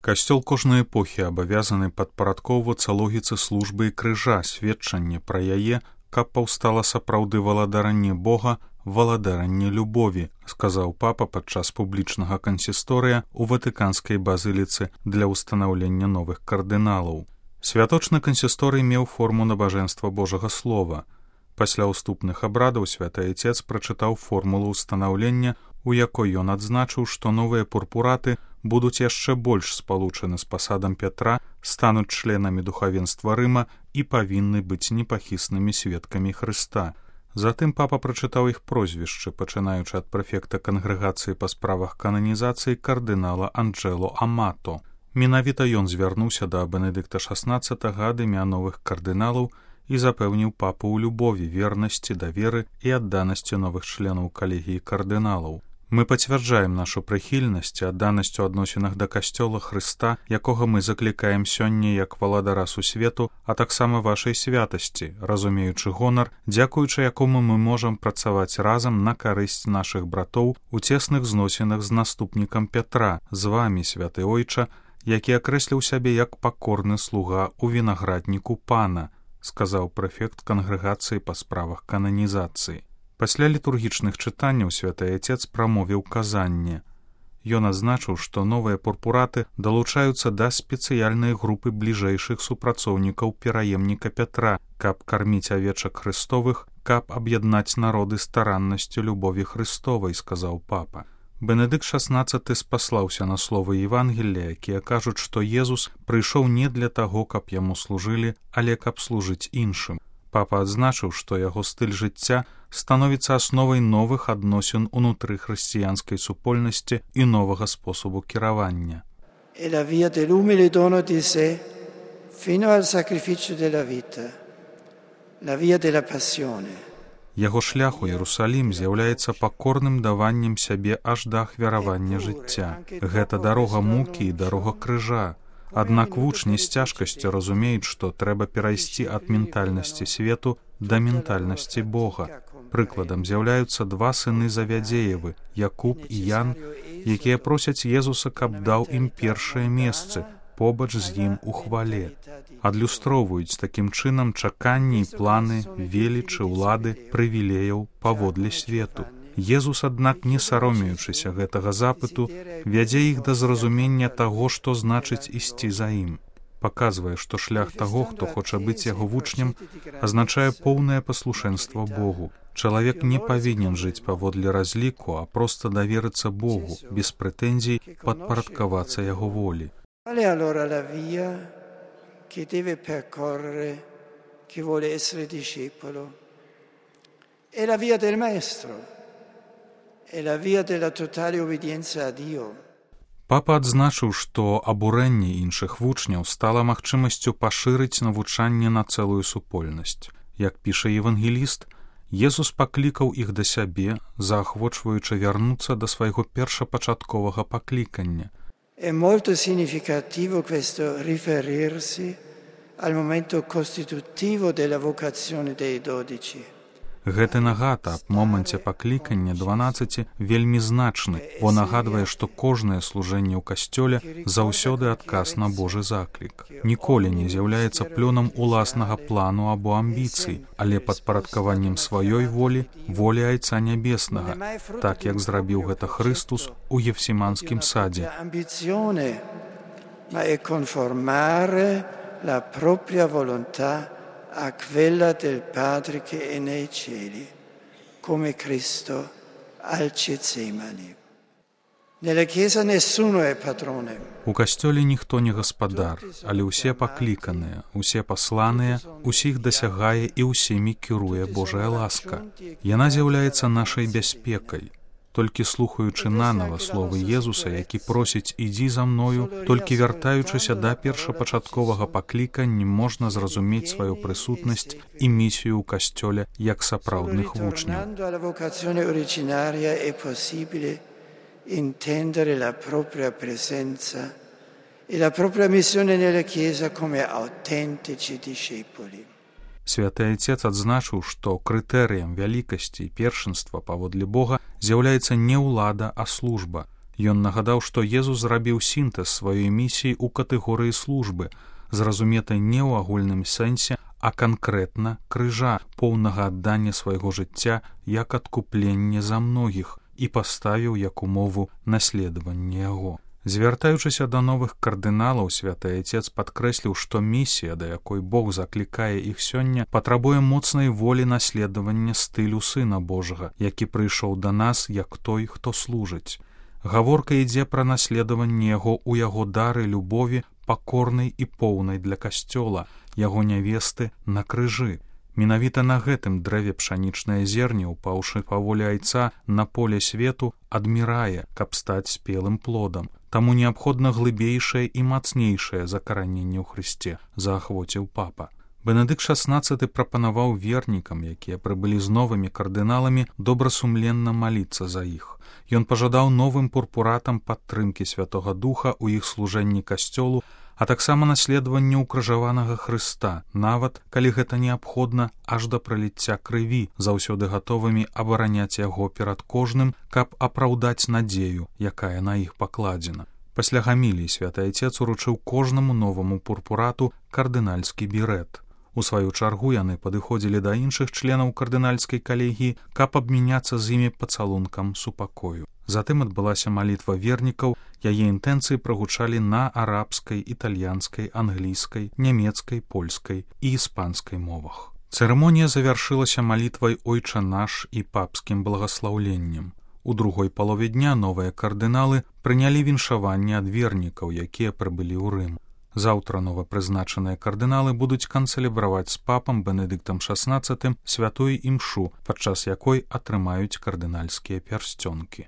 Касцёл кожнай эпохі абавязаны падпарадкоўвацца логіцы службы і крыжа, сведчанне пра яе, каб паўстала сапраўды валадаранне Бога, валадаранне любові, сказаў папа падчас публічнага кансісторыя ў Ватыканскай базыліцы для ўстанаўлення новых кардыналаў. Святочны кансісторый меў форму набажэнства Божага Слова. Пасля ўступных абрадаў святы Айцец прачытаў формулу ўстанаўлення, у якой ён адзначыў, што новыя пурпураты будуць яшчэ больш спалучаны з пасадам Пятра, стануць членамі духавенства Рыма і павінны быць непахіснымі сведкамі Хрыста. Затым папа прачытаў іх прозвішчы, пачынаючы ад прэфекта кангрэгацыі па справах кананізацыі кардынала Анджело Амато. Менавіта ён звярнуўся да Бенедыкта XVI ад імя новых кардыналаў і запэўніў папу ў любові, вернасці, даверы і адданасці новых членаў калегіі кардыналаў. Мы пацвярджаем нашу прыхільнасць і адданасць у адносінах да касцёла Хрыста, якога мы заклікаем сёння як валадара сусвету, а таксама вашай святасці, разумеючы гонар, дзякуючы якому мы можам працаваць разам на карысць нашых братоў у цесных зносінах з наступнікам Пятра, з вамі, святы Ойча, які акрэсліў сябе як пакорны слуга ў вінаградніку пана, сказаў прэфект кангрэгацыі па справах кананізацыі. Пасля літургічных чытанняў святы Айцец прамовіў казанне. Ён адзначыў, што новыя пурпураты далучаюцца да спецыяльнай групы бліжэйшых супрацоўнікаў пераемніка Пятра, каб карміць авечак Хрыстовых, каб аб'яднаць народы стараннасцю любові Хрыстовай, сказаў папа. Бенедыкт XVI спаслаўся на словы Евангелія, якія кажуць, што Езус прыйшоў не для таго, каб яму служылі, але каб служыць іншым. Папа адзначыў, што яго стыль жыцця становіцца асновай новых адносін унутры хрысціянскай супольнасці і новага спосабу кіравання. È la via dell'umile dono di sé fino al sacrificio della vita, la via della passione. Яго шлях у Іерусалім з'яўляецца пакорным даваннем сябе аж да ахвяравання жыцця. Гэта дарога мукі і дарога крыжа. Аднак вучні з цяжкасцю разумеюць, што трэба перайсці ад ментальнасці свету да ментальнасці Бога. Прыкладам з'яўляюцца два сыны Завядзеевы, Якуб і Ян, якія просяць Езуса, каб даў ім першае месцы, побач з ім у хвале. Адлюстроўваюць такім чынам чаканні і планы, велічы, улады, прывілеяў паводле свету. Езус, аднак, не саромеючыся гэтага запыту, вядзе іх да зразумення таго, што значыць ісці за ім. Паказвае, што шлях таго, хто хоча быць яго вучнем, азначае поўнае паслушэнства Богу. Чалавек не павінен жыць паводле разліку, а проста даверыцца Богу, без прэтэнзій падпарадкавацца яго волі. Qual è allora la via che deve percorrere chi vuole essere discepolo? È la via del Maestro. È la via della totale obbedienza a Dio. Папа адзначыў, што абурэнне іншых вучняў стала магчымасцю пашырыць навучанне на цэлую супольнасць. Як піша евангеліст, Езус паклікаў іх да сябе, заахвочваючы вярнуцца да свайго першапачатковага паклікання. È molto significativo questo riferirsi al momento costitutivo della vocazione dei 12. Гэты нагад аб моманце паклікання 12 вельмі значны, бо нагадвае, што кожнае служэнне ў касцёле заўсёды адказ на Божы заклік. Ніколі не з'яўляецца плёнам уласнага плану або амбіцый, але падпарадкаваннем сваёй волі, волі Айца Нябеснага, так як зрабіў гэта Хрыстус у Гефсіманскім садзе. Ma è conformare la propria volontà a quella del Padre che è nei cieli, come Cristo al Getsemani. Nella Chiesa nessuno è padrone. У касцёле ніхто не гаспадар, але ўсе пакліканыя, усе пасланыя, усіх дасягае і ўсімі кіруе Божая ласка. Яна з'яўляецца нашай бяспекай. Толькі слухаючы нанава словы Езуса, які просіць «Ідзі за мною», толькі вяртаючыся да першапачатковага паклікання, можна зразумець сваю прысутнасць і місію ў касцёле як сапраўдных вучняў. Intendere la propria presenza e la propria missione nella Chiesa come autentici discepoli. Святы Айцец адзначыў, што крытэрыем вялікасці і першынства паводле Бога з'яўляецца не ўлада, а служба. Ён нагадаў, што Езус зрабіў сінтэз сваёй місіі ў катэгорыі службы, зразуметай не ў агульным сэнсе, а канкрэтна крыжа, поўнага аддання свайго жыцця як адкупленне за многіх, і паставіў як умову наследавання яго. Звяртаючыся да новых кардыналаў, святы Айцец падкрэсліў, што місія, да якой Бог заклікае іх сёння, патрабуе моцнай волі наследавання стылю Сына Божага, які прыйшоў да нас як той, хто служыць. Гаворка ідзе пра наследаванне яго ў яго дары любові, пакорнай і поўнай для касцёла, яго нявесты на крыжы. Менавіта на гэтым дрэве пшанічнае зерне, упаўшы па волі Айца на поле свету, адмірае, каб стаць спелым плодам. Таму неабходна глыбейшае і мацнейшае закараненне ў Хрысце, заахвоціў папа. Бенедыкт XVI прапанаваў вернікам, якія прыбылі з новымі кардыналамі, добрасумленна маліцца за іх. Ён пажадаў новым пурпуратам падтрымкі Святога Духа ў іх служэнні касцёлу, а таксама наследаванне ўкрыжаванага Хрыста, нават, калі гэта неабходна, аж да праліцця крыві, заўсёды гатовымі абараняць яго перад кожным, каб апраўдаць надзею, якая на іх пакладзена. Пасля гаміліі святы Айцец уручыў кожнаму новаму пурпурату кардынальскі бірэт. У сваю чаргу яны падыходзілі да іншых членаў кардынальскай калегіі, каб абмяняцца з імі пацалункам супакою. Затым адбылася малітва вернікаў, яе інтэнцыі прагучалі на арабскай, італьянскай, англійскай, нямецкай, польскай і іспанскай мовах. Цырымонія завяршылася малітвай «Ойча наш» і папскім благаслаўленнем. У другой палове дня новыя кардыналы прынялі віншаванне ад вернікаў, якія прыбылі ў Рым. Заўтра новапрызначаныя кардыналы будуць канцэлебраваць з папам Бенедыктам XVI святую імшу, падчас якой атрымаюць кардынальскія пярсцёнкі.